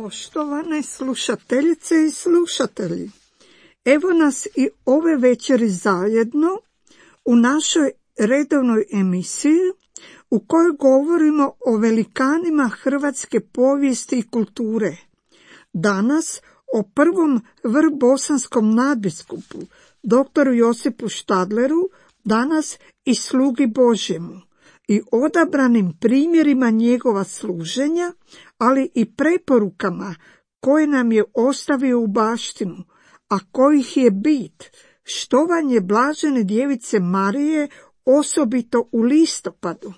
Poštovane slušateljice i slušatelji, evo nas i ove večeri zajedno u našoj redovnoj emisiji u kojoj govorimo o velikanima hrvatske povijesti i kulture. Danas o prvom vrbosanskom nadbiskupu, doktoru Josipu Štadleru, danas i slugi Božjemu, i odabranim primjerima njegova služenja, ali i preporukama koje nam je ostavio u baštinu, a kojih je bit štovanje blažene djevice Marije osobito u listopadu.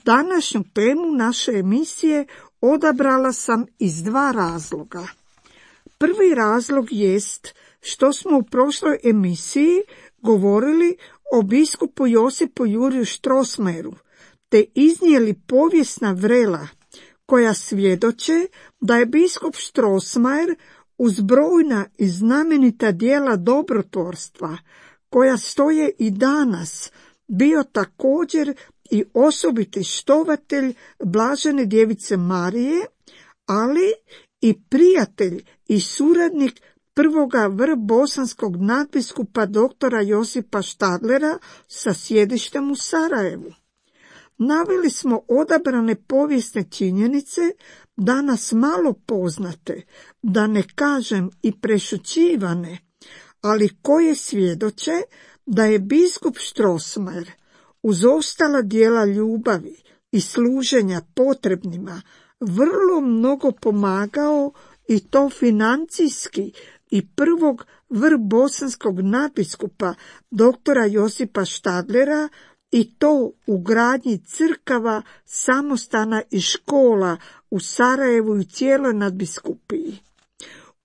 Današnju temu naše emisije odabrala sam iz dva razloga. Prvi razlog jest što smo u prošloj emisiji govorili o biskupu Josipu Juriju Strossmayeru, te iznijeli povijesna vrela koja svjedoče da je biskup Strossmayer uz brojna i znamenita djela dobrotvorstva, koja stoje i danas, bio također i osobiti štovatelj blažene djevice Marije, ali i prijatelj i suradnik prvoga vrbosanskog nadbiskupa doktora Josipa Štadlera sa sjedištem u Sarajevu. Naveli smo odabrane povijesne činjenice, danas malo poznate, da ne kažem i prešućivane, ali koje svjedoče da je biskup Strossmayer uz ostala djela ljubavi i služenja potrebnima vrlo mnogo pomagao, i to financijski, i prvog vrbosanskog nadbiskupa doktora Josipa Štadlera, i to u gradnji crkava, samostana i škola u Sarajevu i cijeloj nadbiskupiji.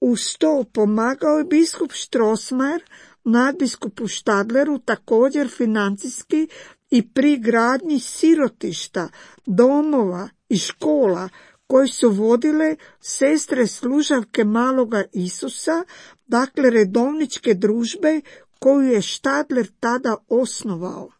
Uz to pomagao je biskup Strossmayer nadbiskupu Štadleru također financijski i pri gradnji sirotišta, domova i škola koje su vodile sestre služavke Maloga Isusa, dakle redovničke družbe koju je Štadler tada osnovao.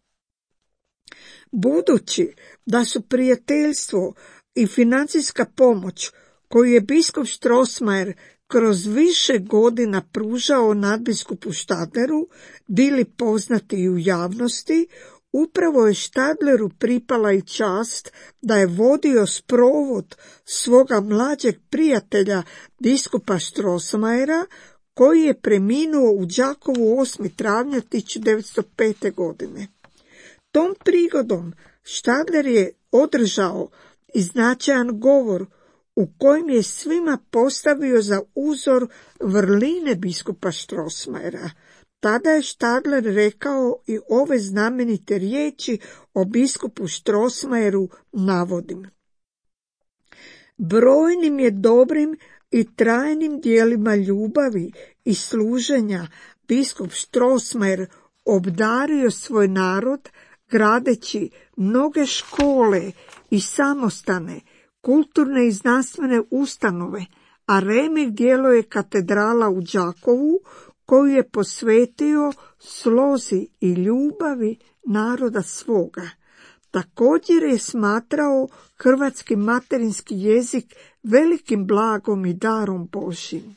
Budući da su prijateljstvo i financijska pomoć koju je biskup Strossmayer kroz više godina pružao nadbiskupu Štadleru bili poznati i u javnosti, upravo je Štadleru pripala i čast da je vodio sprovod svoga mlađeg prijatelja biskupa Strossmayera, koji je preminuo u Đakovu 8. travnja 1905. godine. Tom prigodom Štadler je održao i značajan govor u kojem je svima postavio za uzor vrline biskupa Strossmayera. Tada je Štadler rekao i ove znamenite riječi o biskupu Strossmayeru, navodim: brojnim je dobrim i trajnim djelima ljubavi i služenja biskup Strossmayer obdario svoj narod, gradeći mnoge škole i samostane, kulturne i znanstvene ustanove, a remek djelo je katedrala u Đakovu, koju je posvetio slozi i ljubavi naroda svoga. Također je smatrao hrvatski materinski jezik velikim blagom i darom Božjim.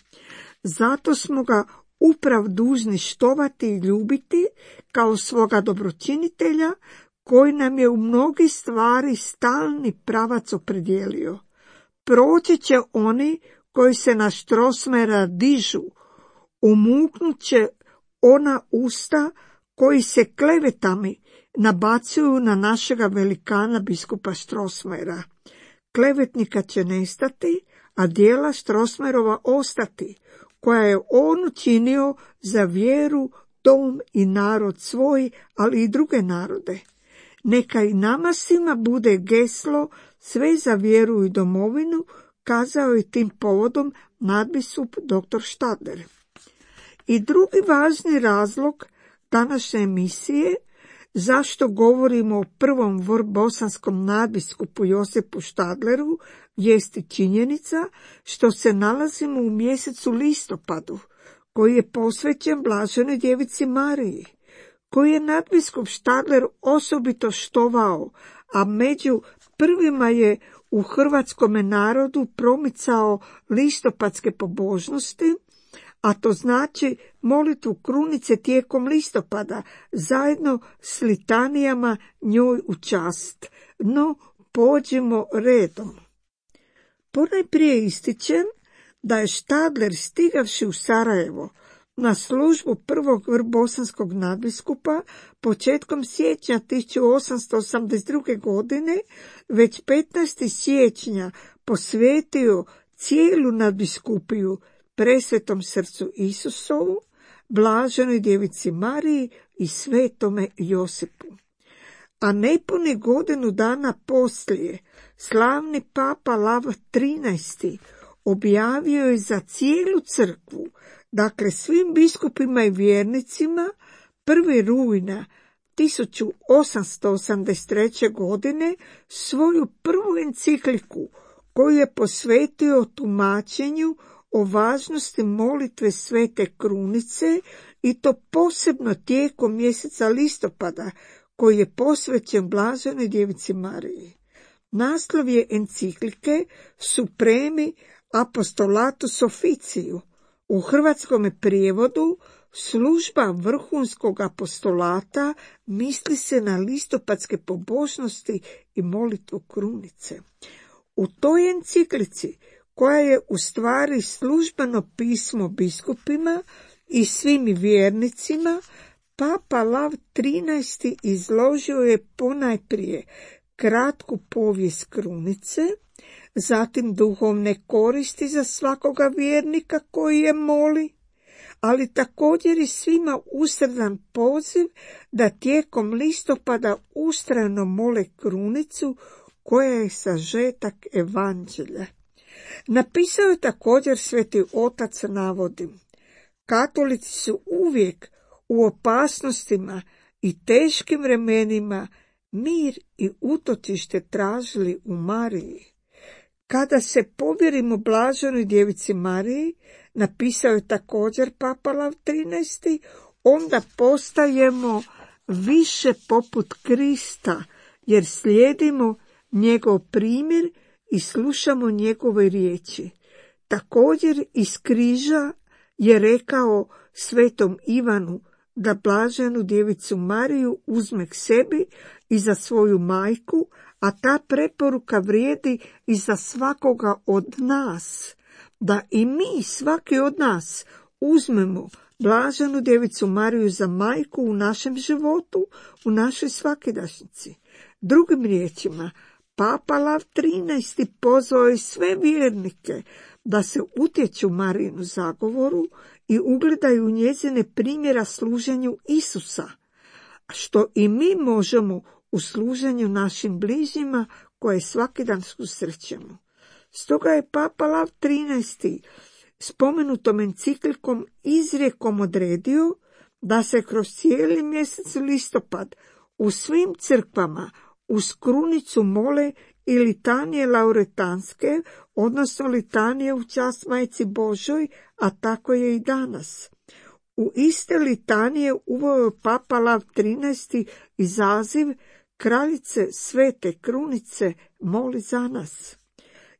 Zato smo ga uprav dužni štovati i ljubiti kao svoga dobročinitelja, koji nam je u mnogi stvari stalni pravac opredijelio. Proći će oni koji se na Strossmayera dižu, umuknut će ona usta koji se klevetami nabacuju na našega velikana biskupa Strossmayera. Klevetnika će nestati, a djela Strossmayerova ostati, koja je on učinio za vjeru, dom i narod svoj, ali i druge narode. Neka i nama svima bude geslo sve za vjeru i domovinu, kazao je tim povodom nadbiskup dr. Štadler. I drugi važni razlog današnje emisije, zašto govorimo o prvom vrbosanskom nadbiskupu Josipu Štadleru, jest i činjenica što se nalazimo u mjesecu listopadu, koji je posvećen blaženoj djevici Mariji, koji je nadbiskup Štadler osobito štovao, a među prvima je u hrvatskome narodu promicao listopadske pobožnosti, a to znači molitvu krunice tijekom listopada, zajedno s litanijama njoj u čast. No, pođimo redom. Ponajprije ističem da je Štadler, stigavši u Sarajevo na službu prvog bosanskog nadbiskupa početkom siječnja 1882. godine, već 15. siječnja posvetio cijelu nadbiskupiju Presvetom srcu Isusovu, Blaženoj djevici Mariji i Svetome Josipu. A nepuni godinu dana poslije, slavni papa Lav XIII objavio je za cijelu crkvu, dakle svim biskupima i vjernicima, 1. rujna 1883. godine svoju prvu encikliku koju je posvetio tumačenju o važnosti molitve Svete Krunice, i to posebno tijekom mjeseca listopada, koji je posvećen Blaženoj djevici Mariji. Naslov je enciklike Supremi Apostolatus Officiju, u hrvatskom prijevodu služba vrhunskog apostolata, misli se na listopadske pobožnosti i molitvu krunice. U toj enciklici, koja je u stvari službeno pismo biskupima i svim vjernicima, papa Lav XIII izložio je ponajprije kratku povijest krunice, zatim duhovne koristi za svakoga vjernika koji je moli, ali također i svima usredan poziv da tijekom listopada ustrajno mole krunicu, koja je sažetak evanđelja. Napisao je također Sveti Otac, navodi: katolici su uvijek u opasnostima i teškim vremenima mir i utočište tražili u Mariji. Kada se povjerimo Blaženoj djevici Mariji, napisao je također papa Lav XIII, onda postajemo više poput Krista, jer slijedimo njegov primjer i slušamo njegove riječi. Također iz križa je rekao svetom Ivanu da Blaženu djevicu Mariju uzme k sebi i za svoju majku, a ta preporuka vrijedi i za svakoga od nas, da i mi, svaki od nas, uzmemo Blaženu djevicu Mariju za majku u našem životu, u našoj svakidašnjici. Drugim riječima, papa Lav XIII pozvao je sve vjernike da se utječu Marijinu zagovoru i ugledaju njezine primjera služenju Isusa, što i mi možemo u služenju našim bližnjima koje svaki dan susrećemo. Stoga je papa Lav XIII spomenutom enciklikom izrijekom odredio da se kroz cijeli mjesec listopad u svim crkvama uz krunicu mole i litanije lauretanske, odnosno litanije u čast Majci Božoj, a tako je i danas. U iste litanije uveo je papa Lav XIII izaziv Kraljice Svete Krunice, moli za nas.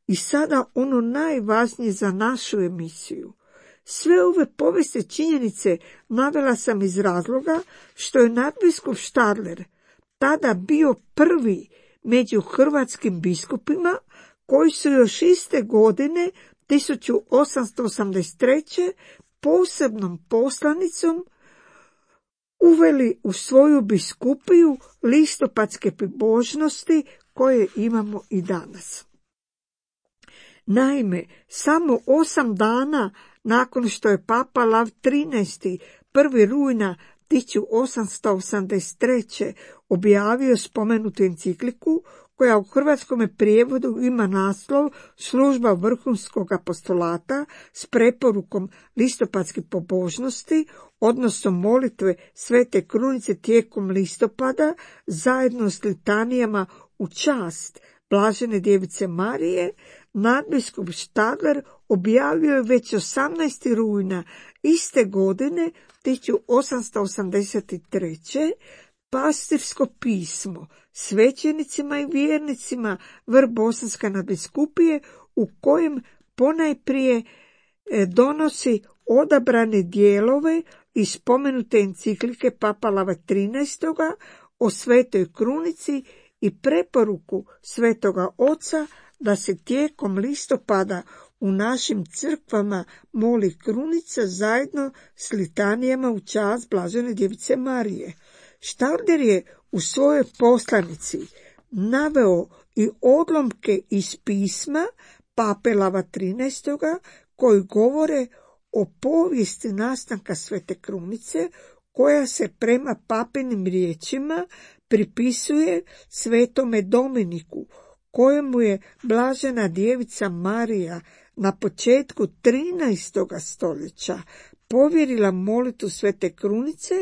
I sada ono najvažnije za našu emisiju. Sve ove povijesne činjenice navela sam iz razloga što je nadbiskup Štadler tada bio prvi među hrvatskim biskupima koji su još iste godine 1883. posebnom poslanicom uveli u svoju biskupiju listopadske pobožnosti koje imamo i danas. Naime, samo 8 dana nakon što je papa Lav XIII 1. rujna 1883. objavio spomenutu encikliku, koja u hrvatskom prijevodu ima naslov Služba vrhunskog apostolata s preporukom listopadske pobožnosti, odnosno molitve Svete Krunice tijekom listopada, zajedno s litanijama u čast Blažene djevice Marije, nadbiskup Štadler objavio je već 18. rujna iste godine 1883. pastirsko pismo svećenicima i vjernicima Vrbosanska nadbiskupije, u kojem ponajprije donosi odabrane dijelove iz spomenute enciklike Papa Lava XIII. O Svetoj krunici i preporuku Svetoga Oca da se tijekom listopada u našim crkvama moli krunica zajedno s litanijama u čast Blažene Djevice Marije. Stadler je u svojoj poslanici naveo i odlomke iz pisma Pape Lava XIII. Koji govore o povijesti nastanka Svete krunice, koja se prema papinim riječima pripisuje Svetome Dominiku, kojemu je Blažena Djevica Marija na početku 13. stoljeća povjerila molitvu Svete krunice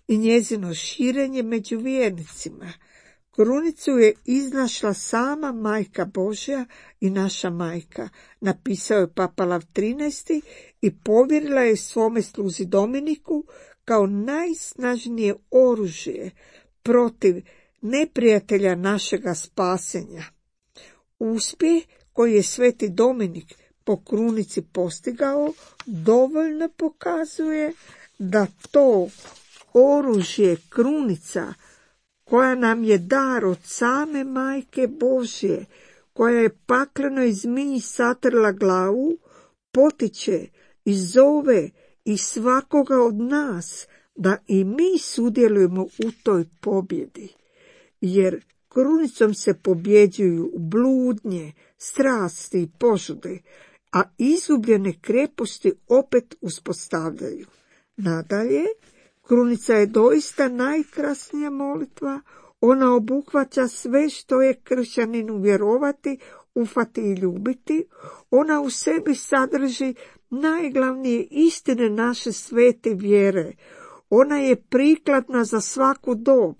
i njezino širenje među vjernicima. Krunicu je iznašla sama Majka Božja i naša majka, napisao je Papa Lav XIII. I povjerila je svome sluzi Dominiku kao najsnažnije oružje protiv neprijatelja našega spasenja. Uspjeh koji je Sveti Dominik po krunici postigao dovoljno pokazuje da to oružje krunica, koja nam je dar od same Majke Božje, koja je paklenoj zmiji satrla glavu, potiče i zove i svakoga od nas da i mi sudjelujemo u toj pobjedi. Jer krunicom se pobjeđuju bludnje, strasti i požude, a izgubljene kreposti opet uspostavljaju. Nadalje, krunica je doista najkrasnija molitva. Ona obuhvaća sve što je kršćaninu vjerovati, ufati i ljubiti. Ona u sebi sadrži najglavnije istine naše svete vjere. Ona je prikladna za svaku dob,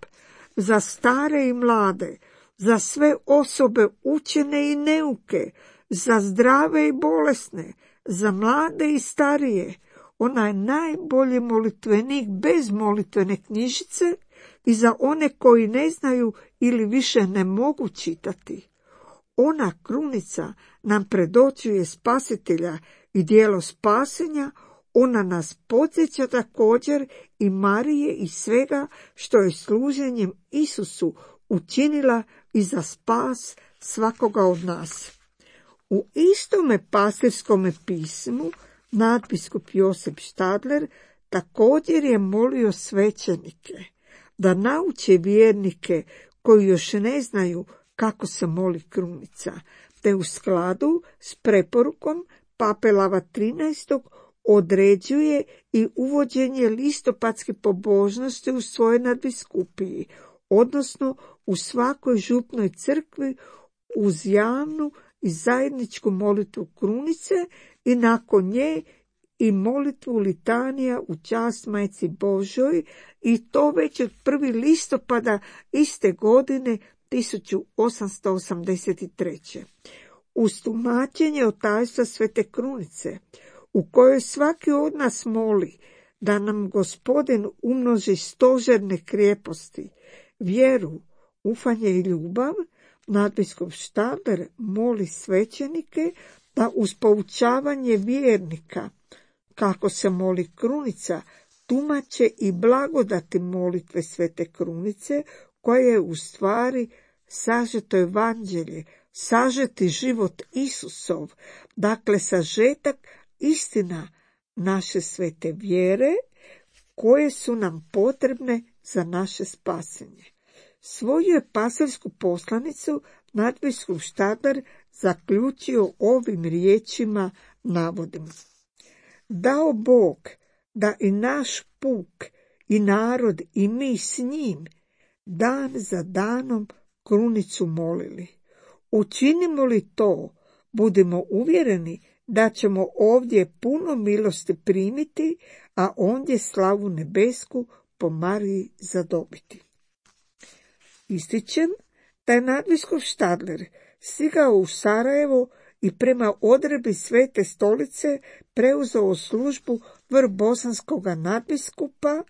za stare i mlade, za sve osobe učene i neuke, za zdrave i bolesne, za mlade i starije. Ona je najbolji molitvenik bez molitvene knjižice i za one koji ne znaju ili više ne mogu čitati. Ona krunica nam predočuje Spasitelja i djelo spasenja. Ona nas podsjeća također i Marije i svega što je služenjem Isusu učinila i za spas svakoga od nas. U istome pastirskome pismu nadbiskup Josip Stadler također je molio svećenike da nauče vjernike koji još ne znaju kako se moli krunica, te u skladu s preporukom Pape Lava XIII. Određuje i uvođenje listopadske pobožnosti u svojoj nadbiskupiji, odnosno u svakoj župnoj crkvi uz javnu i zajedničku molitvu krunice i nakon nje i molitvu litanija u čast Majci Božoj, i to već od 1. listopada iste godine 1883. Uz tumačenje od tajstva Svete krunice, u kojoj svaki od nas moli da nam Gospodin umnoži stožerne krijeposti, vjeru, ufanje i ljubav, nadbiskup Stadler moli svećenike da uz poučavanje vjernika kako se moli krunica tumače i blagodati molitve Svete krunice, koja je u stvari sažeto evanđelje, sažeti život Isusov, dakle sažetak istina naše svete vjere, koje su nam potrebne za naše spasenje. Svoju je pastirsku poslanicu nadbiskup Stadler zaključio ovim riječima, navodim: Dao Bog da i naš puk i narod i mi s njim dan za danom krunicu molili. Učinimo li to, budemo uvjereni da ćemo ovdje puno milosti primiti, a ondje slavu nebesku po Mariji zadobiti. Ističem da je nadbiskup Stadler stigao u Sarajevo i prema odredbi Svete stolice preuzeo službu vrbosanskoga nadbiskupa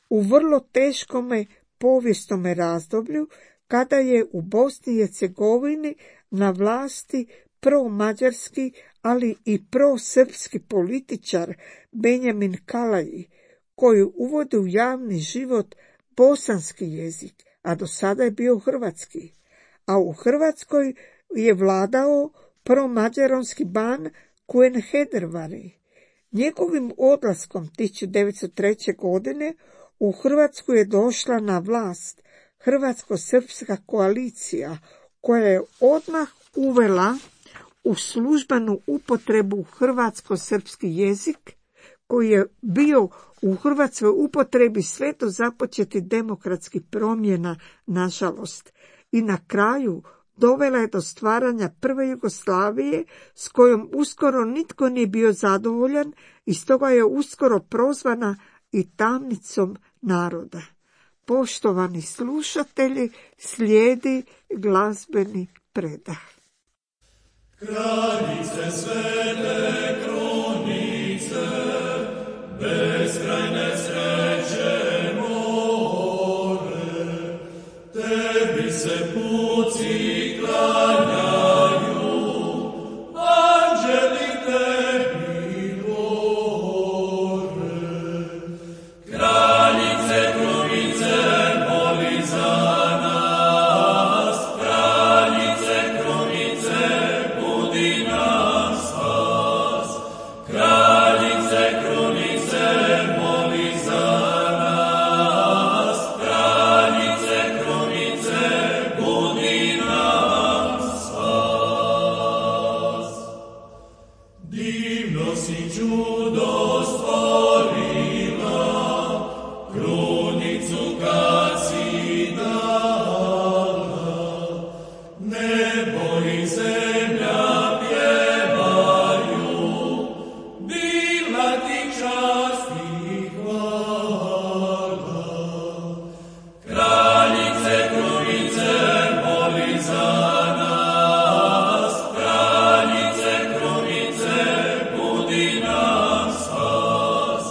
u vrlo teškome povijesnom razdoblju kada je u Bosni i Hercegovini na vlasti pro-mađarski, ali i pro-srpski političar Benjamin Kalaji, koji uvodi u javni život bosanski jezik, a do sada je bio hrvatski. A u Hrvatskoj je vladao pro-mađaronski ban Kuen Hedervari. Njegovim odlaskom 1903. godine u Hrvatsku je došla na vlast Hrvatsko-srpska koalicija, koja je odmah uvela u službenu upotrebu hrvatsko-srpski jezik, koji je bio u Hrvatskoj upotrebi sve do započetih demokratskih promjena, nažalost, i na kraju dovela je do stvaranja prve Jugoslavije, s kojom uskoro nitko nije bio zadovoljan i stoga je uskoro prozvana i tamnicom naroda. Poštovani slušatelji, slijedi glazbeni predah. Kraljice svete krunice, beskrajne sreće more, tebi se puci klanjaju, anđeli tebi gore. Kraljice krunice, moli za nas, kraljice krunice, budi nas spas. Kraljice krunice, moli za nas, kraljice krunice, budi nas spas. Divno si čudo stvorila, krunicu kad si dala, nebo i zemlja pjevaju, bila ti čast i hvala. Kraljice krunice, moli za nas, kraljice krunice, budi nas spas.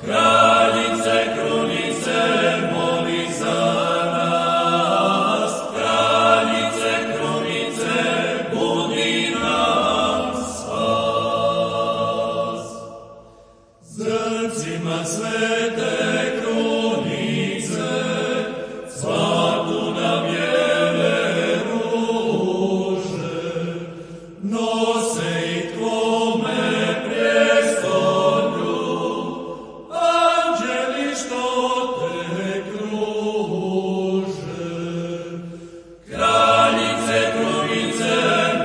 Kraljice krunice, moli za nas, kraljice krunice, budi nas spas. Zrcima svete krunice, cvatu na bijele ruže, nose i tvome prijestolju, anđeli što te kruže. Kraljice krunice,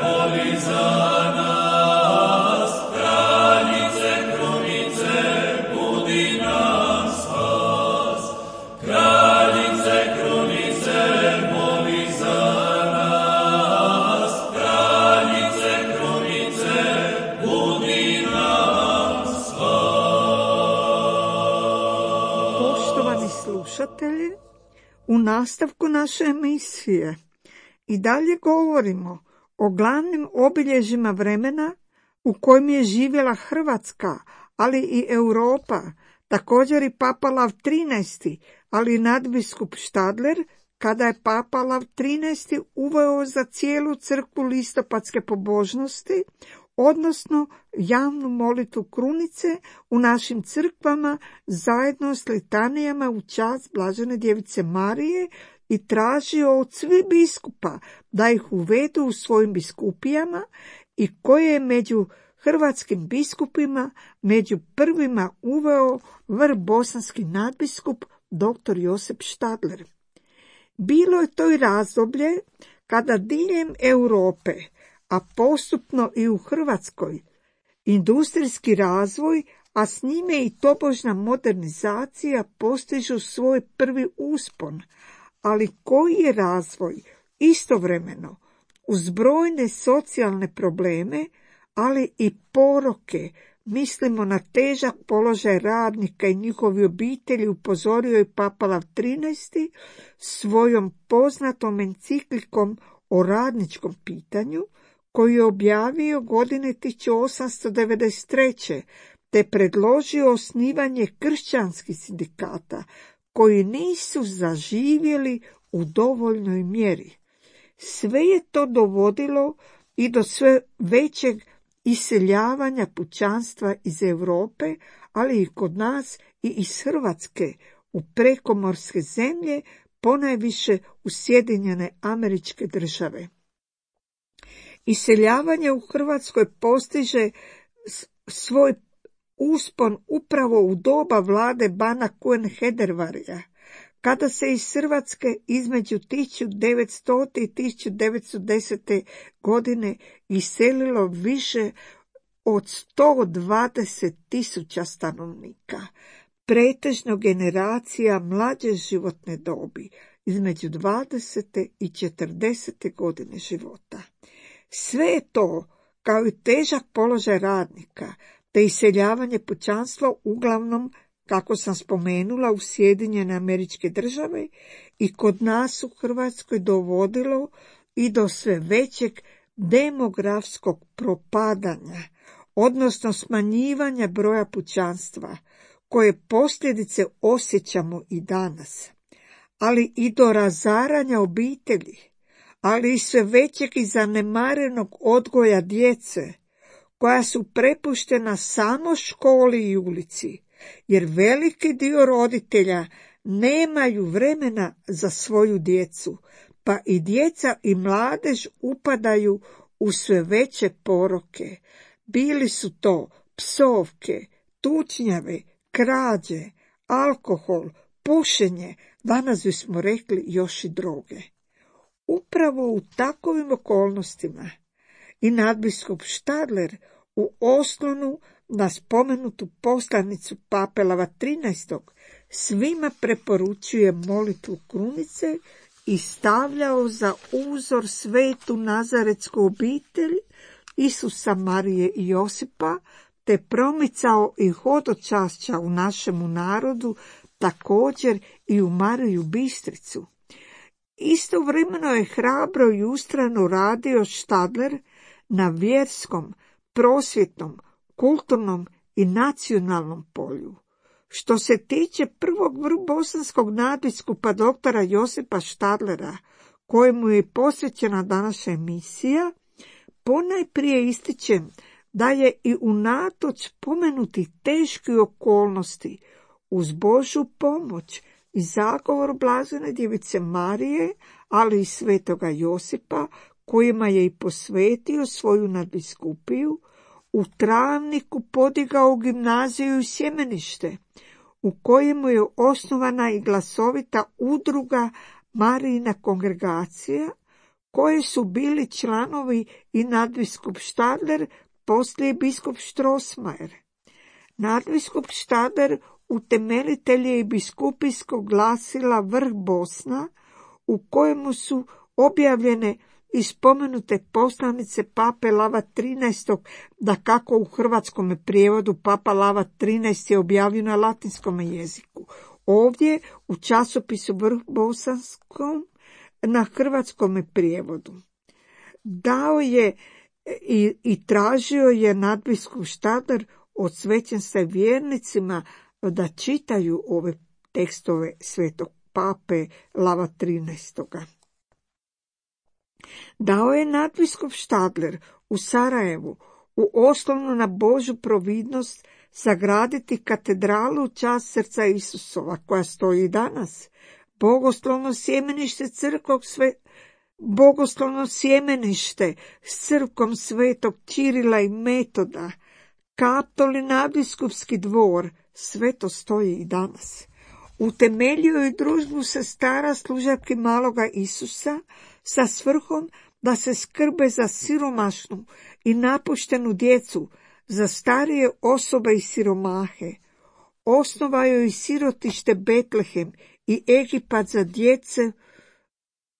moli za nas, kraljice krunice, budi nas spas. Kraljice krunice, moli za nas, kraljice krunice, budi nas spas. Poštovani slušatelji, u nastavku naše emisije i dalje govorimo o glavnim obilježjima vremena u kojem je živjela Hrvatska, ali i Europa, također i Papa Lav XIII, ali i nadbiskup Štadler, kada je Papa Lav XIII uveo za cijelu crkvu listopadske pobožnosti, odnosno javnu molitvu krunice u našim crkvama zajedno s litanijama u čast Blažene djevice Marije i tražio od svih biskupa da ih uvedu u svojim biskupijama i koje je među hrvatskim biskupima među prvima uveo bosanski nadbiskup dr. Josip Štadler. Bilo je to i razdoblje kada diljem Europe, a postupno i u Hrvatskoj, industrijski razvoj, a s njime i tobožna modernizacija postižu svoj prvi uspon, ali koji je razvoj istovremeno uz brojne socijalne probleme, ali i poroke, mislimo na težak položaj radnika i njihovi obitelji, upozorio je Papa Lav XIII svojom poznatom enciklikom o radničkom pitanju, koju je objavio godine 1893. te predložio osnivanje kršćanskih sindikata koji nisu zaživjeli u dovoljnoj mjeri. Sve je to dovodilo i do sve većeg iseljavanja pučanstva iz Europe, ali i kod nas i iz Hrvatske u prekomorske zemlje, ponajviše u Sjedinjene Američke Države. Iseljavanje u Hrvatskoj postiže svoj uspon upravo u doba vlade bana Kuen-Hedervarija, kada se iz Hrvatske između 1900. i 1910. godine iselilo više od 120.000 stanovnika, pretežno generacija mlađe životne dobi, između 20. i 40. godine života. Sve je to, kao i težak položaj radnika, te iseljavanje pučanstva uglavnom, kako sam spomenula, u Sjedinjene Američke Države i kod nas u Hrvatskoj dovodilo i do sve većeg demografskog propadanja, odnosno smanjivanja broja pučanstva, koje posljedice osjećamo i danas, ali i do razaranja obitelji, ali i sve većeg i zanemarenog odgoja djece, koja su prepuštena samo školi i ulici, jer veliki dio roditelja nemaju vremena za svoju djecu, pa i djeca i mladež upadaju u sve veće poroke. Bili su to psovke, tučnjave, krađe, alkohol, pušenje, danas bismo rekli još i droge. Upravo u takovim okolnostima i nadbiskup Štadler u oslonu na spomenutu poslanicu pape Lava XIII. Svima preporučuje molitvu krunice i stavljao za uzor svetu nazaretsku obitelj Isusa, Marije i Josipa, te promicao i hodočašća u našemu narodu, također i u Mariju Bistricu. Istovremeno je hrabro i ustrajno radio Štadler na vjerskom, prosvjetnom, kulturnom i nacionalnom polju. Što se tiče prvog bosanskog nadbiskupa doktora Josipa Štadlera, kojemu je posvećena današnja emisija, ponajprije ističem da je i unatoč spomenutih teških okolnosti uz Božju pomoć i zagovor blažene djevice Marije, ali i svetoga Josipa, kojima je i posvetio svoju nadbiskupiju, u Travniku podigao gimnaziju i sjemenište, u kojemu je osnovana i glasovita udruga Marijina kongregacija, koje su bili članovi i nadbiskup Štadler, poslije biskup Strossmayer. Nadbiskup Štadler utemeljitelj je i biskupijskog glasila Vrh Bosna, u kojemu su objavljene i spomenute poslanice pape Lava XIII, dakako u hrvatskom prijevodu papa Lava XIII je objavio na latinskom jeziku. Ovdje u časopisu Vrh Bosanskom na hrvatskom prijevodu. Dao je i tražio je nadbiskup Štadler od svećenstva vjernicima da čitaju ove tekstove svetog pape Lava XIII. Dao je nadbiskup Štadler u Sarajevu u oslonu na Božju providnost sagraditi katedralu u čast srca Isusova, koja stoji i danas, bogoslovno sjemenište s crkvom svetog Čirila i Metoda, Kaptol i nadbiskupski dvor, sve to stoji i danas. Utemeljio je družbu sestara služabki maloga Isusa sa svrhom da se skrbe za siromašnu i napuštenu djecu, za starije osobe i siromahe. Osnovao je i sirotište Betlehem i Egipat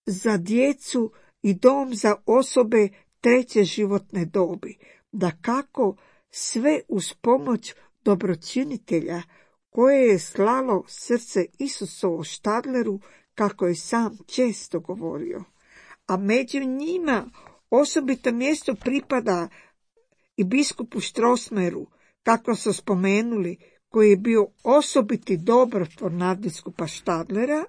za djecu i dom za osobe treće životne dobi. Dakako, sve uz pomoć dobročinitelja koje je slalo srce Isusovo Štadleru, kako je sam često govorio. A među njima osobito mjesto pripada i biskupu Strossmayeru, kako su spomenuli, koji je bio osobiti dobrotvor nadbiskupa Štadlera,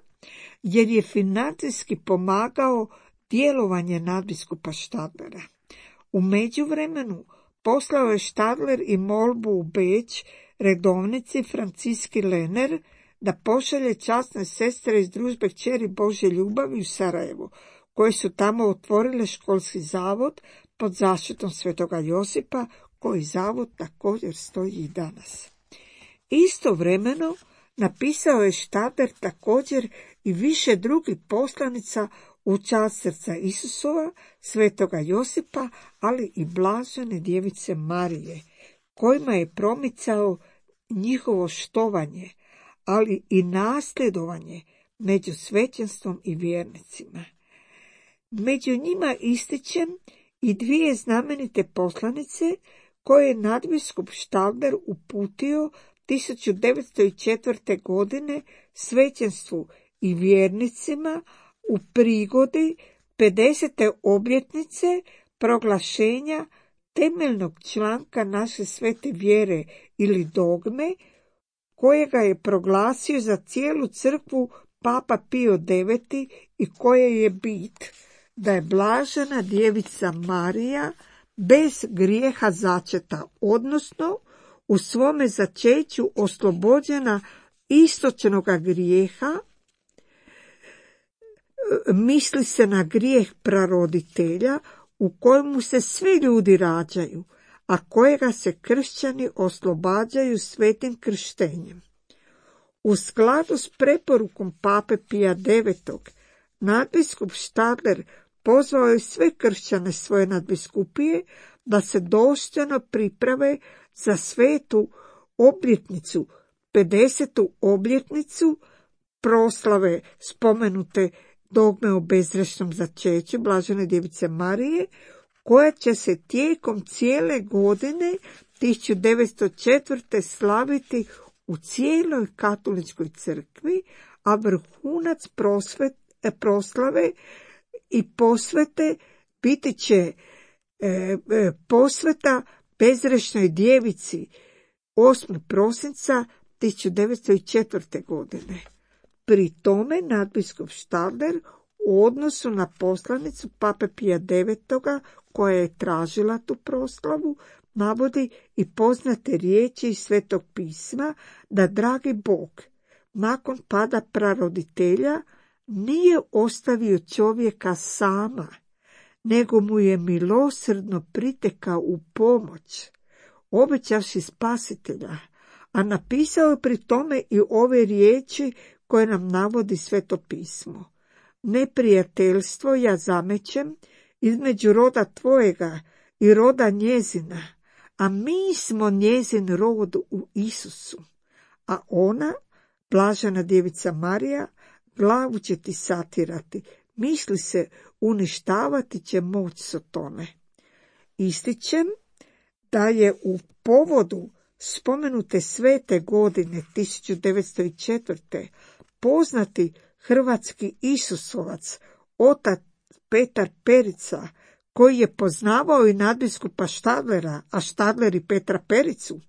jer je financijski pomagao djelovanje nadbiskupa Štadlera. U međuvremenu poslao je Štadler i molbu u Beč redovnici Franciski Lener da pošalje časne sestre iz družbe Kćeri Božje ljubavi u Sarajevo, koje su tamo otvorile školski zavod pod zaštitom Svetoga Josipa, koji zavod također stoji i danas. Istovremeno napisao je Štadler također i više drugih poslanica u čast srca Isusova, Svetoga Josipa, ali i Blažene djevice Marije, kojima je promicao njihovo štovanje, ali i nasljedovanje među svećenstvom i vjernicima. Među njima ističem i dvije znamenite poslanice koje je nadbiskup Štadler uputio 1904. godine svećenstvu i vjernicima u prigodi 50. obljetnice proglašenja temeljnog članka naše svete vjere ili dogme, kojega je proglasio za cijelu crkvu Papa Pio IX i koje je bit da je Blažena djevica Marija bez grijeha začeta, odnosno u svome začeću oslobođena istočnoga grijeha, misli se na grijeh praroditelja u kojemu se svi ljudi rađaju, a kojega se kršćani oslobađaju svetim krštenjem. U skladu s preporukom Pape Pija IX, nadbiskup Štadler pozvao je sve kršćane svoje nadbiskupije da se dostojno priprave za svetu obljetnicu, 50. obljetnicu proslave spomenute dogme o bezgrešnom začeću Blažene djevice Marije, koja će se tijekom cijele godine 1904. slaviti u cijeloj katoličkoj crkvi, a vrhunac proslave i posvete biti će posveta bezgrešnoj djevici 8. prosinca 1904. godine. Pri tome nadbiskup Štadler u odnosu na poslanicu Pape Pija IX, koja je tražila tu proslavu, navodi i poznate riječi iz Svetog pisma da dragi Bog nakon pada praroditelja nije ostavio čovjeka sama, nego mu je milosrdno pritekao u pomoć, obećavši spasitelja, a napisao je pri tome i ove riječi koje nam navodi Sveto pismo. Neprijateljstvo ja zamećem između roda tvojega i roda njezina, a mi smo njezin rod u Isusu, a ona, Blažena djevica Marija, glavu će ti satirati, misli se, uništavati će moć Sotone. Ističem da je u povodu spomenute svete godine 1904. poznati hrvatski Isusovac, otac Petar Perica, koji je poznavao i nadbiskupa Štadlera, a Štadler i Petra Pericu,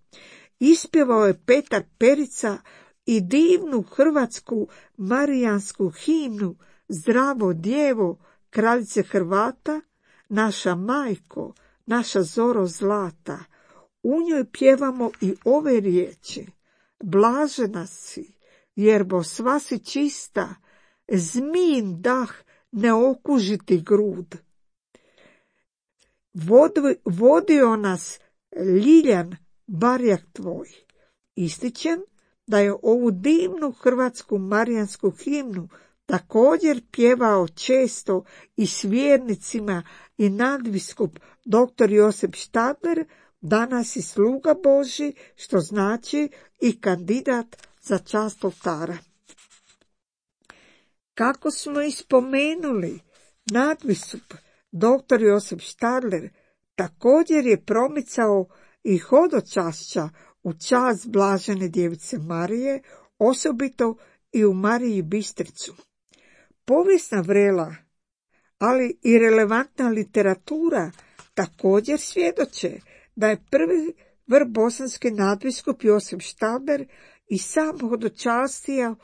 ispjevao je Petar Perica i divnu hrvatsku marijansku himnu Zdravo djevo, kraljice Hrvata, naša majko, naša zoro zlata. U njoj pjevamo i ove riječi: blažena si, jerbo sva si čista, zmijin dah ne okuži ti grud. Vodio nas Ljiljan barjak tvoj. Ističem da je ovu divnu hrvatsku marijansku himnu također pjevao često i s vjernicima i nadbiskup dr. Josip Štadler, danas i sluga Božji, što znači i kandidat za čast oltara. Kako smo ispomenuli, nadbiskup dr. Josip Štadler također je promicao i hodočašća u čast Blažene djevice Marije, osobito i u Mariji Bistricu. Povijesna vrela, ali i relevantna literatura također svjedoče da je prvi vrbosanski nadbiskup Josip Štadler i sam hodočastio,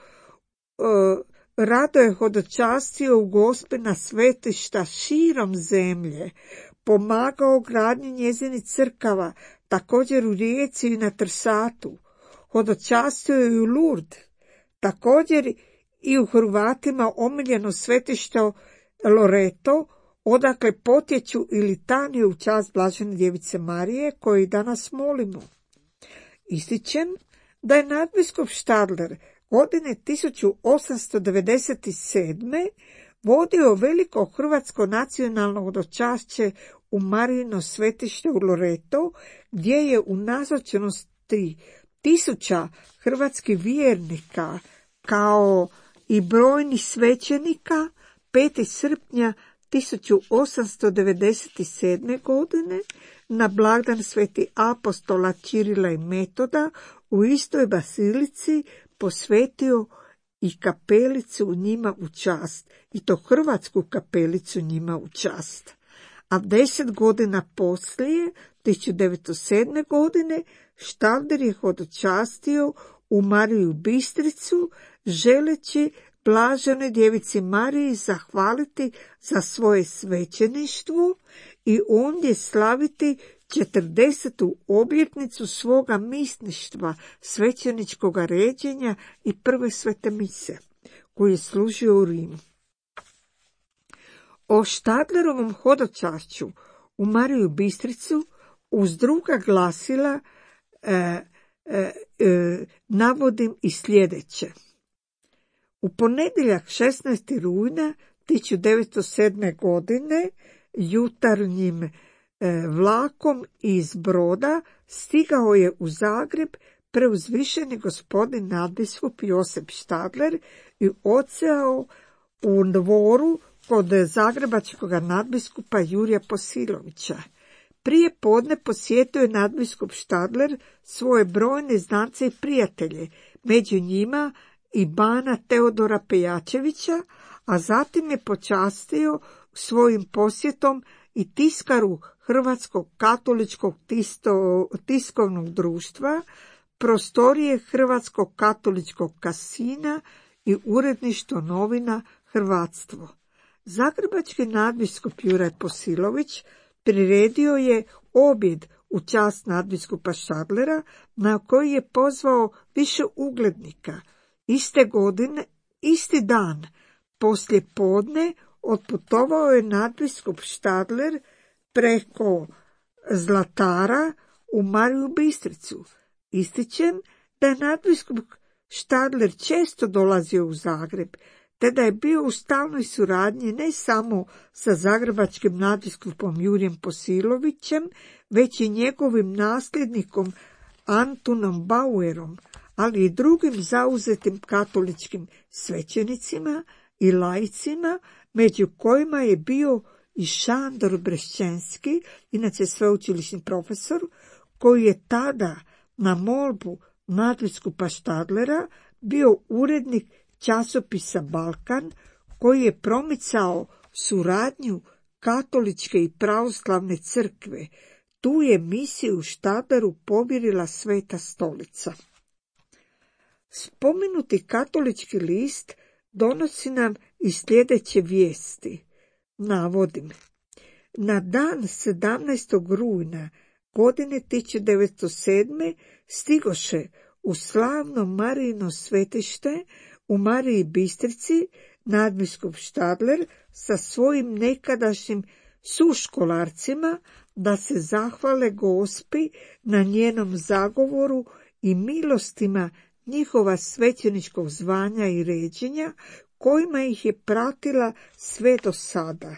rado je hodočastio u Gospina svetišta širom zemlje, pomagao gradnji njezinih crkava, također u Rijeci i na Trsatu. Hodočastio je i u Lourdes, također i u Hrvatima omiljeno svetište Loreto, odakle potječu i litanije u čast Blažene djevice Marije, koju danas molimo. Ističem da je nadbiskup Štadler godine 1897. vodio veliko hrvatsko nacionalno hodočašće u Marijino svetište u Loreto, gdje je u nazočnosti 1000 hrvatskih vjernika kao i brojnih svećenika 5. srpnja 1897. godine na blagdan sveti apostola Čirila i Metoda u istoj basilici posvetio i kapelicu njima u čast, i to hrvatsku kapelicu njima u čast. A 10 godina poslije, 1907. godine, Štadler je hodočastio u Mariju Bistricu, želeći Blaženoj djevici Mariji zahvaliti za svoje svećeništvo i ondje slaviti 40. obljetnicu svoga misništva, svećeničkoga ređenja i prve svete mise, koji je služio u Rimu. O Štadlerovom hodočašću u Mariju Bistricu uz druga glasila navodim i sljedeće. U ponedjeljak 16. rujna 1907. godine jutarnjim vlakom iz Broda stigao je u Zagreb preuzvišeni gospodin nadbiskup Josip Štadler i odsjeo u dvoru kod zagrebačkog nadbiskupa Jurija Posilovića. Prije podne posjetio je nadbiskup Štadler svoje brojne znance i prijatelje, među njima i bana Teodora Pejačevića, a zatim je počastio svojim posjetom i tiskaru Hrvatskog katoličkog tiskovnog društva, prostorije Hrvatskog katoličkog kasina i uredništvo novina Hrvatstvo. Zagrebački nadbiskup Juraj Posilović priredio je objed u čast nadbiskupa Štadlera, na koji je pozvao više uglednika. Iste godine, isti dan, poslije podne, otputovao je nadbiskup Štadler preko Zlatara u Mariju Bistricu. Ističem da je nadbiskup Štadler često dolazio u Zagreb, te da je bio u stalnoj suradnji ne samo sa zagrebačkim nadbiskupom Jurijem Posilovićem, već i njegovim nasljednikom Antunom Bauerom, ali i drugim zauzetim katoličkim svećenicima i laicima, među kojima je bio i Šandor Brešćenski, inače sveučilišni profesor, koji je tada na molbu nadbiskupa Štadlera bio urednik časopisa Balkan, koji je promicao suradnju katoličke i pravoslavne crkve. Tu je misiju Štadleru povjerila Sveta stolica. Spomenuti katolički list donosi nam i sljedeće vijesti. Navodim. Na dan 17. rujna godine 1907. stigoše u slavno Marijino svetište u Mariji Bistrici nadbiskup Štadler sa svojim nekadašnjim suškolarcima da se zahvale Gospi na njenom zagovoru i milostima njihova svećeničkog zvanja i ređenja, kojima ih je pratila sve do sada.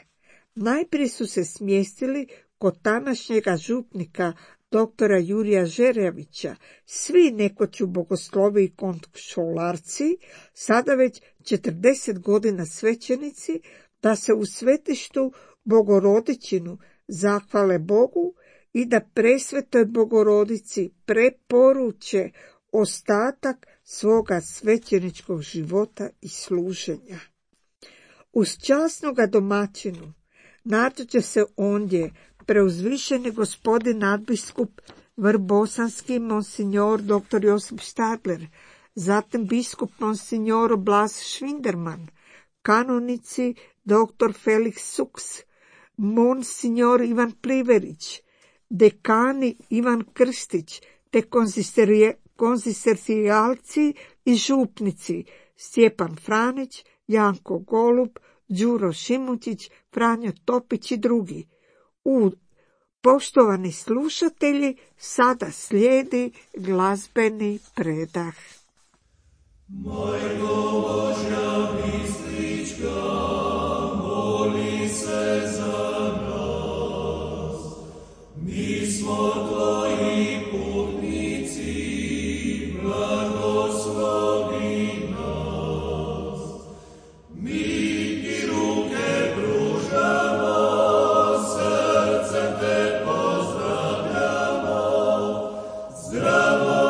Najprije su se smjestili kod tadašnjega župnika doktora Jurija Žerjavića, svi nekoću bogoslovi i kontrolarci, sada već 40 godina svećenici, da se u svetištu Bogorodičinu zahvale Bogu i da presvetoj Bogorodici preporuče ostatak svoga svećeničkog života i služenja. Uz časnoga domaćinu nađe se ondje preuzvišeni gospodin nadbiskup vrbosanski monsignor dr. Josip Štadler, zatim biskup monsignor Blas Švinderman, kanonici dr. Felix Suks, monsignor Ivan Pliverić, dekani Ivan Krstić, te konzistercijalci i župnici Stjepan Franić, Janko Golub, Đuro Šimučić, Franjo Topić i drugi. Poštovani slušatelji, sada slijedi glazbeni predah. Majko Božja Bistrička, moli se za nas. Mi smo tvoji putnici, blagoslovi nas. Mi ti ruke pružamo, srcem te pozdravljamo. Zdravo,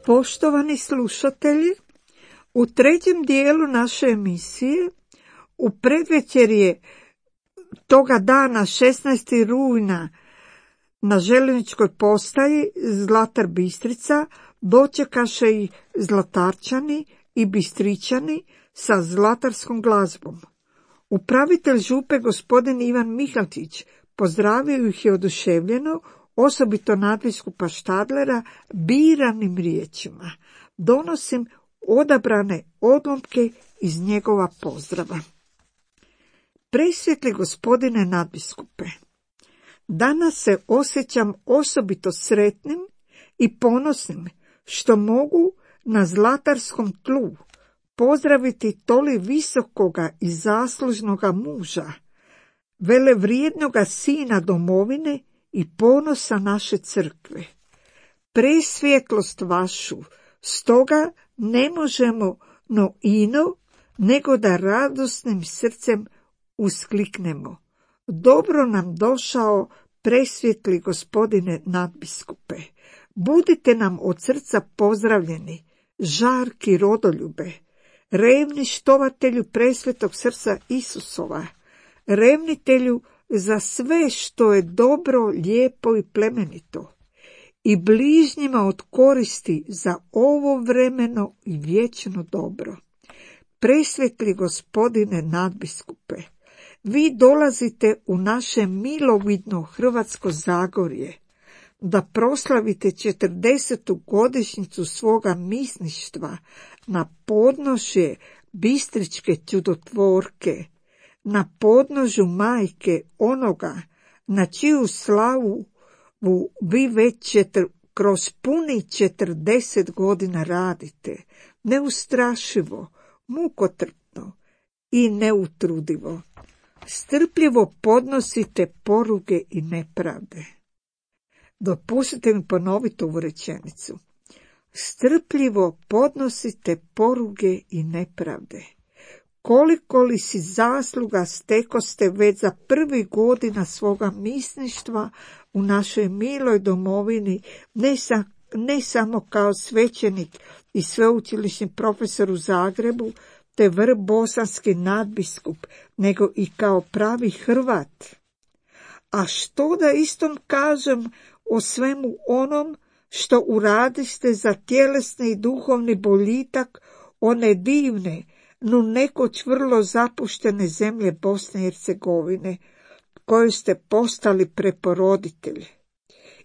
Poštovani slušatelji, u trećem dijelu naše emisije, u predvečerje toga dana 16. rujna na željezničkoj postaji Zlatar Bistrica dočekaše i Zlatarčani i Bistričani sa zlatarskom glazbom. Upravitelj župe gospodin Ivan Mihalčić pozdravio ih je oduševljeno, osobito nadbiskupa Štadlera, biranim riječima. Donosim odabrane odlomke iz njegova pozdrava. Presvetli gospodine nadbiskupe, danas se osjećam osobito sretnim i ponosnim što mogu na zlatarskom tlu pozdraviti toli visokoga i zaslužnoga muža, velevrijednoga sina domovine i ponosa naše crkve. Presvjetlost vašu, stoga ne možemo no ino, nego da radosnim srcem uskliknemo. Dobro nam došao, presvjetli gospodine nadbiskupe. Budite nam od srca pozdravljeni, žarki rodoljube, revni štovatelju presvetog srca Isusova, revnitelju za sve što je dobro, lijepo i plemenito, i bližnjima od koristi za ovo vremeno i vječno dobro. Presvetli gospodine nadbiskupe, vi dolazite u naše milovidno Hrvatsko Zagorje da proslavite 40. godišnjicu svoga misništva na podnožje Bistričke čudotvorke, na podnožju majke onoga na čiju slavu vi već kroz puni 40 godina radite, neustrašivo, mukotrpno i neutrudivo. Strpljivo podnosite poruge i nepravde. Dopustite mi ponoviti ovu rečenicu. Strpljivo podnosite poruge i nepravde. Koliko li si zasluga stekoste već za prvih godina svoga misništva u našoj miloj domovini, ne samo kao svećenik i sveučilišni profesor u Zagrebu, te bosanski nadbiskup, nego i kao pravi Hrvat. A što da istom kažem o svemu onom što uradiste za tjelesni i duhovni boljitak one divne, no nekoć vrlo zapuštene zemlje Bosne i Hercegovine, koju ste postali preporoditelji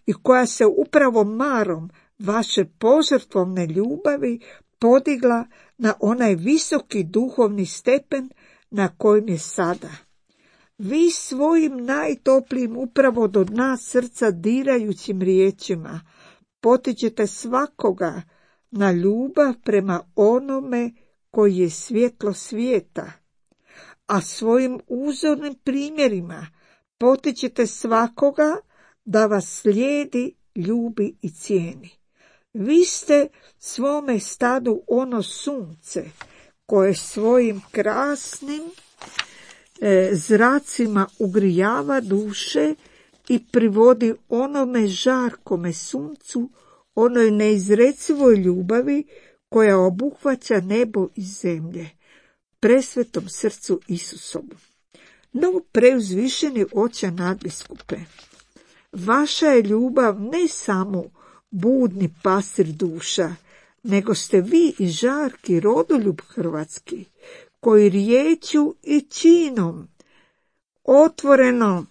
i koja se upravo marom vaše požrtvovne ljubavi podigla na onaj visoki duhovni stepen na kojem je sada. Vi svojim najtoplijim upravo do dna srca dirajućim riječima potičete svakoga na ljubav prema onome koji je svjetlo svijeta, a svojim uzornim primjerima potičete svakoga da vas slijedi, ljubi i cijeni. Vi ste svome stadu ono sunce koje svojim krasnim zracima ugrijava duše i privodi onome žarkome suncu, onoj neizrecivoj ljubavi koja obuhvaća nebo i zemlje, presvetom srcu Isusovom. No, preuzvišeni oče nadbiskupe, vaša je ljubav ne samo budni pastir duša, nego ste vi i žarki rodoljub hrvatski, koji riječju i činom otvoreno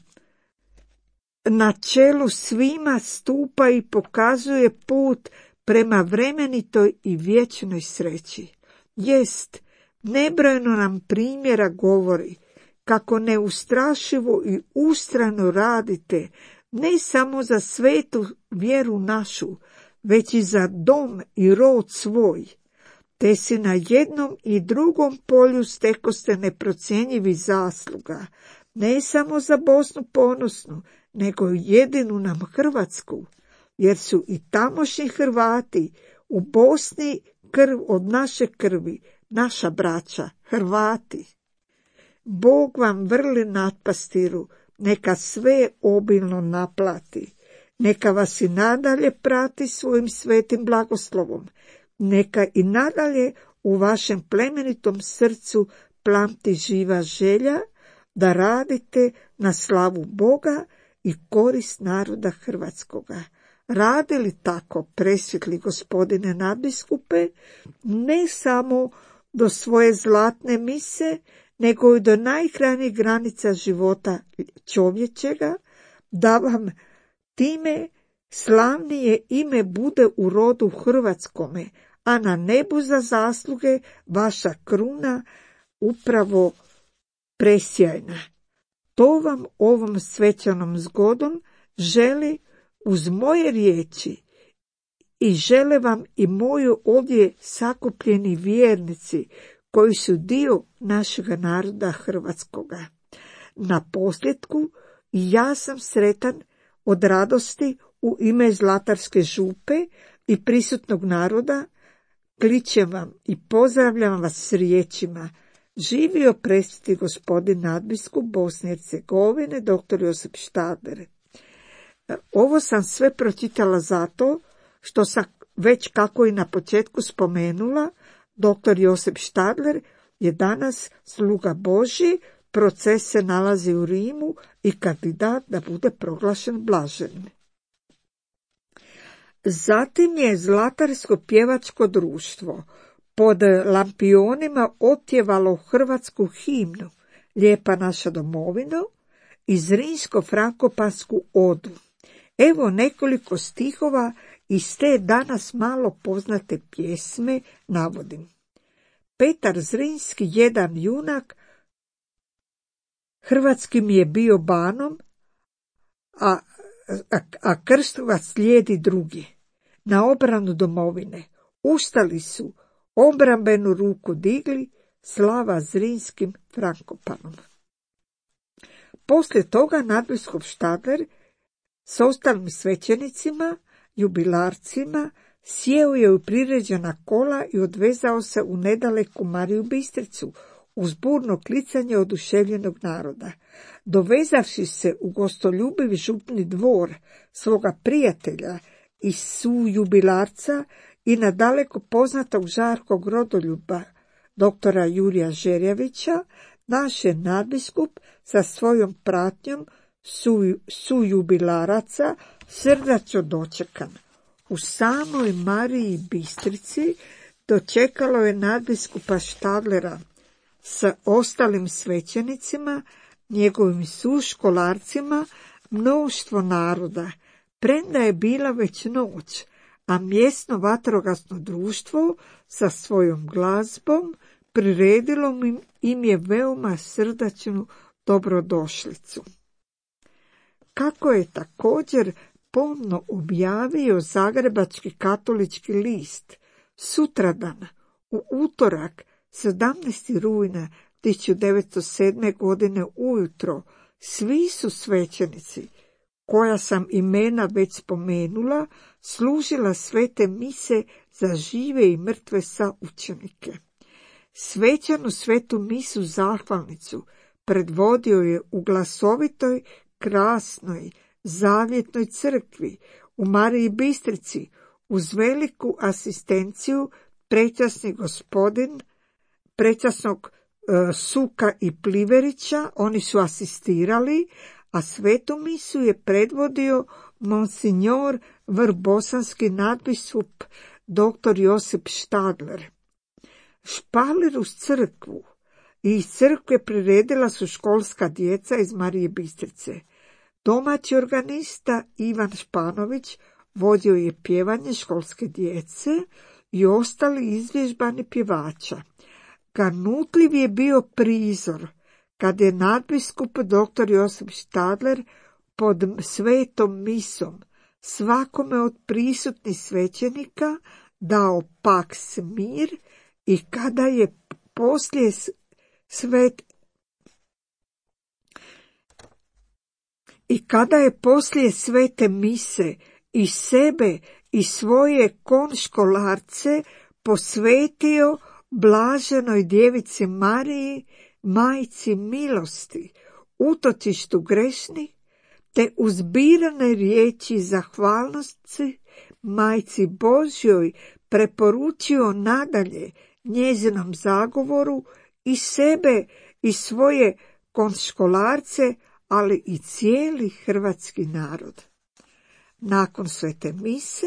na čelu svima stupa i pokazuje put prema vremenitoj i vječnoj sreći. Jest, nebrojeno nam primjera govori kako neustrašivo i ustrajno radite ne samo za svetu vjeru našu, već i za dom i rod svoj, te si na jednom i drugom polju stekoste neprocjenjivi zasluga, ne samo za Bosnu ponosnu, nego i jedinu nam Hrvatsku, jer su i tamošnji Hrvati u Bosni krv od naše krvi, naša braća, Hrvati. Bog vam vrli nadpastiru, neka sve obilno naplati, neka vas i nadalje prati svojim svetim blagoslovom, neka i nadalje u vašem plemenitom srcu plamti živa želja da radite na slavu Boga i korist naroda hrvatskoga. Radi li tako, presvjetli gospodine nadbiskupe, ne samo do svoje zlatne mise, nego i do najkrajnjih granica života čovječega, da vam time slavnije ime bude u rodu hrvatskome, a na nebu za zasluge vaša kruna upravo presjajna. To vam ovom svečanom zgodom želi uz moje riječi i žele vam i moji ovdje sakupljeni vjernici koji su dio našega naroda hrvatskoga. Na posljedku ja sam sretan od radosti u ime Zlatarske župe i prisutnog naroda, kličem vam i pozdravljam vas s riječima: živio presveti gospodin nadbiskup Bosne i Hercegovine, dr. Josip Štadler. Ovo sam sve pročitala zato što sam već, kako i na početku spomenula, dr. Josip Štadler je danas sluga Božji, proces se nalazi u Rimu i kandidat da bude proglašen blaženim. Zatim je Zlatarsko pjevačko društvo pod lampionima otjevalo hrvatsku himnu Lijepa naša domovino i Zrinsko-frankopansku odu. Evo nekoliko stihova iz te danas malo poznate pjesme navodim. Petar Zrinski, jedan junak, hrvatski mi je bio banom, a krstovac slijedi drugi. Na obranu domovine ustali su, obrambenu ruku digli, slava Zrinskim Frankopanom. Poslije toga nadbiskup Štadler s ostalim svećenicima, jubilarcima, sjeo je u priređena kola i odvezao se u nedaleku Mariju Bistricu, uz burno klicanje oduševljenog naroda. Dovezavši se u gostoljubiv župni dvor svoga prijatelja i sujubilarca i na daleko poznatog žarkog rodoljuba, doktora Jurija Žerjavića, naš je nadbiskup sa svojom pratnjom sujubilaraca srdačno dočekan. U samoj Mariji Bistrici dočekalo je nadbiskupa Štadlera sa ostalim svećenicima, njegovim suškolarcima, mnoštvo naroda, premda je bila već noć, a mjesno vatrogasno društvo sa svojom glazbom priredilo im je veoma srdačnu dobrodošlicu. Kako je također pomno objavio Zagrebački katolički list, sutradan, u utorak, 17. rujna 1907. godine ujutro, svi su svećenici, koja sam imena već spomenula, služila svete mise za žive i mrtve saučenike. Svečanu svetu misu zahvalnicu predvodio je u glasovitoj, krasnoj, zavjetnoj crkvi u Mariji Bistrici uz veliku asistenciju prečasnog Suka i Pliverića. Oni su asistirali, a svetu misu je predvodio monsignor vrbosanski nadbiskup dr. Josip Štadler. Špalir uz crkvu i iz crkve priredila su školska djeca iz Marije Bistrice. Domaći organista Ivan Španović vodio je pjevanje školske djece i ostali izvježbani pjevača. Ganutljiv je bio prizor kad je nadbiskup dr. Josip Štadler pod svetom misom svakome od prisutnih svećenika dao paks mir i kada je poslije svete mise i sebe i svoje konškolarce posvetio blaženoj djevici Mariji, majci milosti, utočištu grešnih, te uzbirane riječi zahvalnosti majci Božjoj preporučio nadalje njezinom zagovoru i sebe i svoje konškolarce, ali i cijeli hrvatski narod. Nakon svete mise,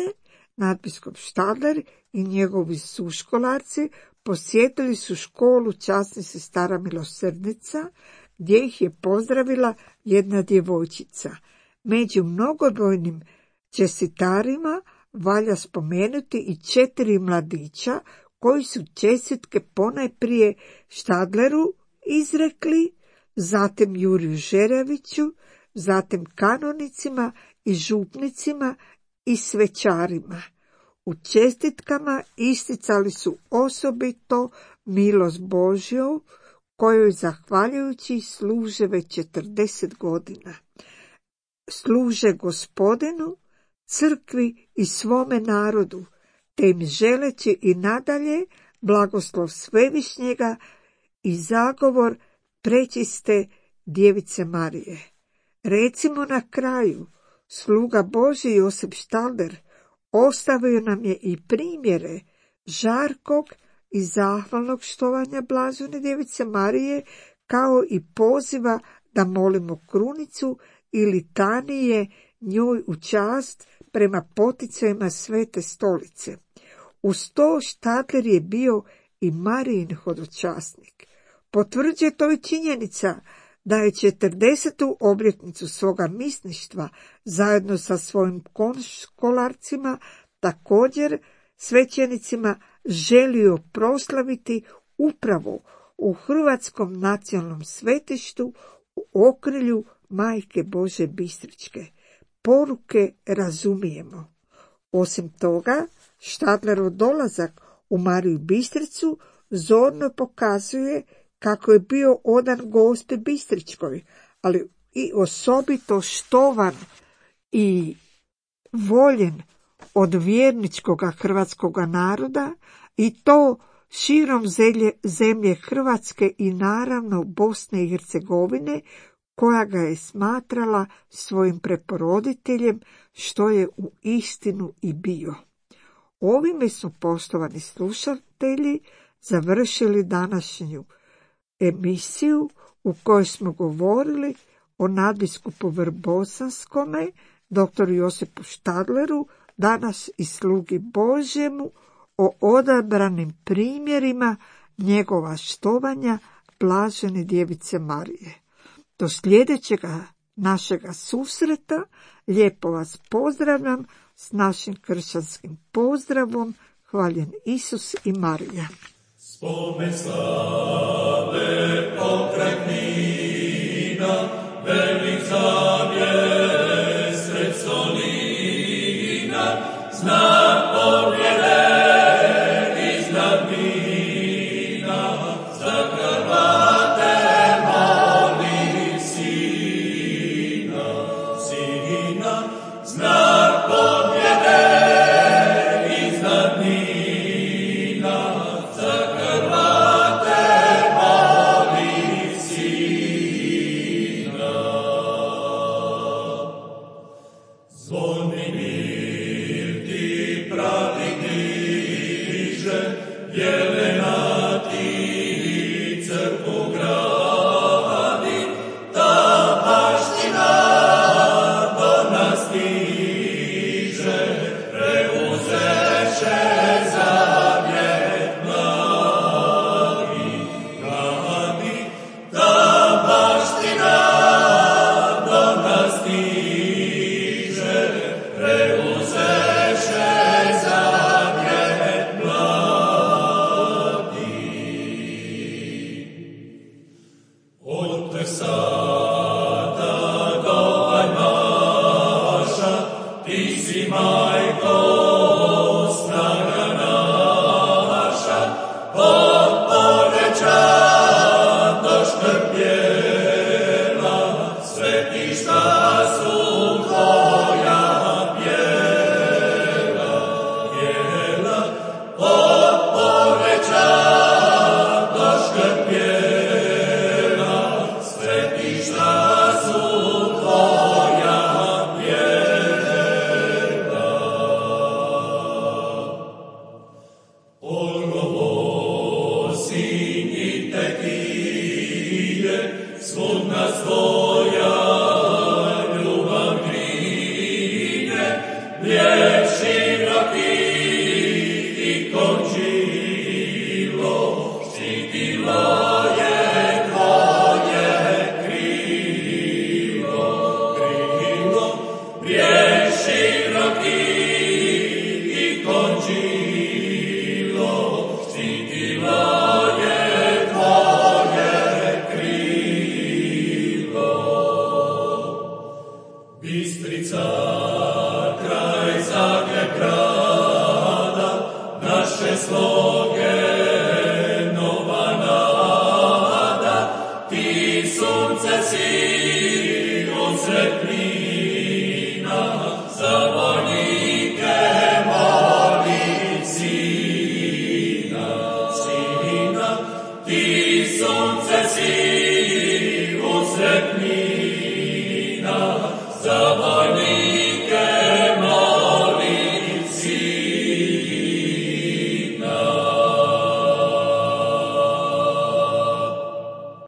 nadbiskup Štadler i njegovi suškolarci posjetili su školu časnih sestara milosrdnica, gdje ih je pozdravila jedna djevojčica. Među mnogobrojnim čestitarima valja spomenuti i 4 mladića koji su čestitke ponajprije Štadleru izrekli, zatim Juriju Žerjaviću, zatim kanonicima i župnicima i svećarima. U čestitkama isticali su osobito milost Božju, kojoj zahvaljujući služe već 40 godina. Služe Gospodinu, crkvi i svome narodu, te im želeći i nadalje blagoslov Svevišnjega i zagovor prečiste Djevice Marije. Recimo na kraju, sluga Božji Josip Štadler ostavio nam je i primjere žarkog i zahvalnog štovanja blažene Djevice Marije, kao i poziva da molimo krunicu i litanije njoj u čast prema poticajima Svete Stolice. Uz to Štadler je bio i Marijin hodočasnik. Potvrđuje to i činjenica da je 40. obljetnicu svoga misništva zajedno sa svojim konškolarcima, također svećenicima, želio proslaviti upravo u Hrvatskom nacionalnom svetištu u okrilju Majke Bože Bistričke. Poruke razumijemo. Osim toga, Štadlerov dolazak u Mariju Bistricu zorno pokazuje kako je bio odan Gospi Bistričkoj, ali i osobito štovan i voljen od vjerničkoga hrvatskoga naroda, i to širom zemlje Hrvatske i naravno Bosne i Hercegovine, koja ga je smatrala svojim preporoditeljem, što je u istinu i bio. Ovime smo, poštovani slušatelji, završili današnju emisiju u kojoj smo govorili o nadbiskupu Vrbosanskome, dr. Josipu Štadleru, danas i slugi Božjemu, o odabranim primjerima njegova štovanja blažene djevice Marije. Do sljedećega našega susreta lijepo vas pozdravljam s našim kršćanskim pozdravom. Hvaljen Isus i Marija. Spomen slave pokraj Knina, velik zavjet sred solina, znak pobjede iznad mina, za Hrvate moli sina, sina, znak pobjede iznad mina, za Hrvate moli sina. Zvoni mir ti pravi diže, jelena ti crkvu gradi, ta baština do nas stiže, preuzeše zavjet blagi, blagi, ta baština do nas stiže, preuzeše zavjet blagi. Od Trsata do Ajmaša, ti si majko snaga naša, od Poreča do Škrpjela, svetišta su tvoja pjela, pjela, od Poreča do Škrpjela, svetišta su tvoja pjela. Olgovo sinji tekije, svud nas tvoja ljubav grine, lijep široki i končilo, štitilo je tvoje krilo, krilo, lijep široki i končilo.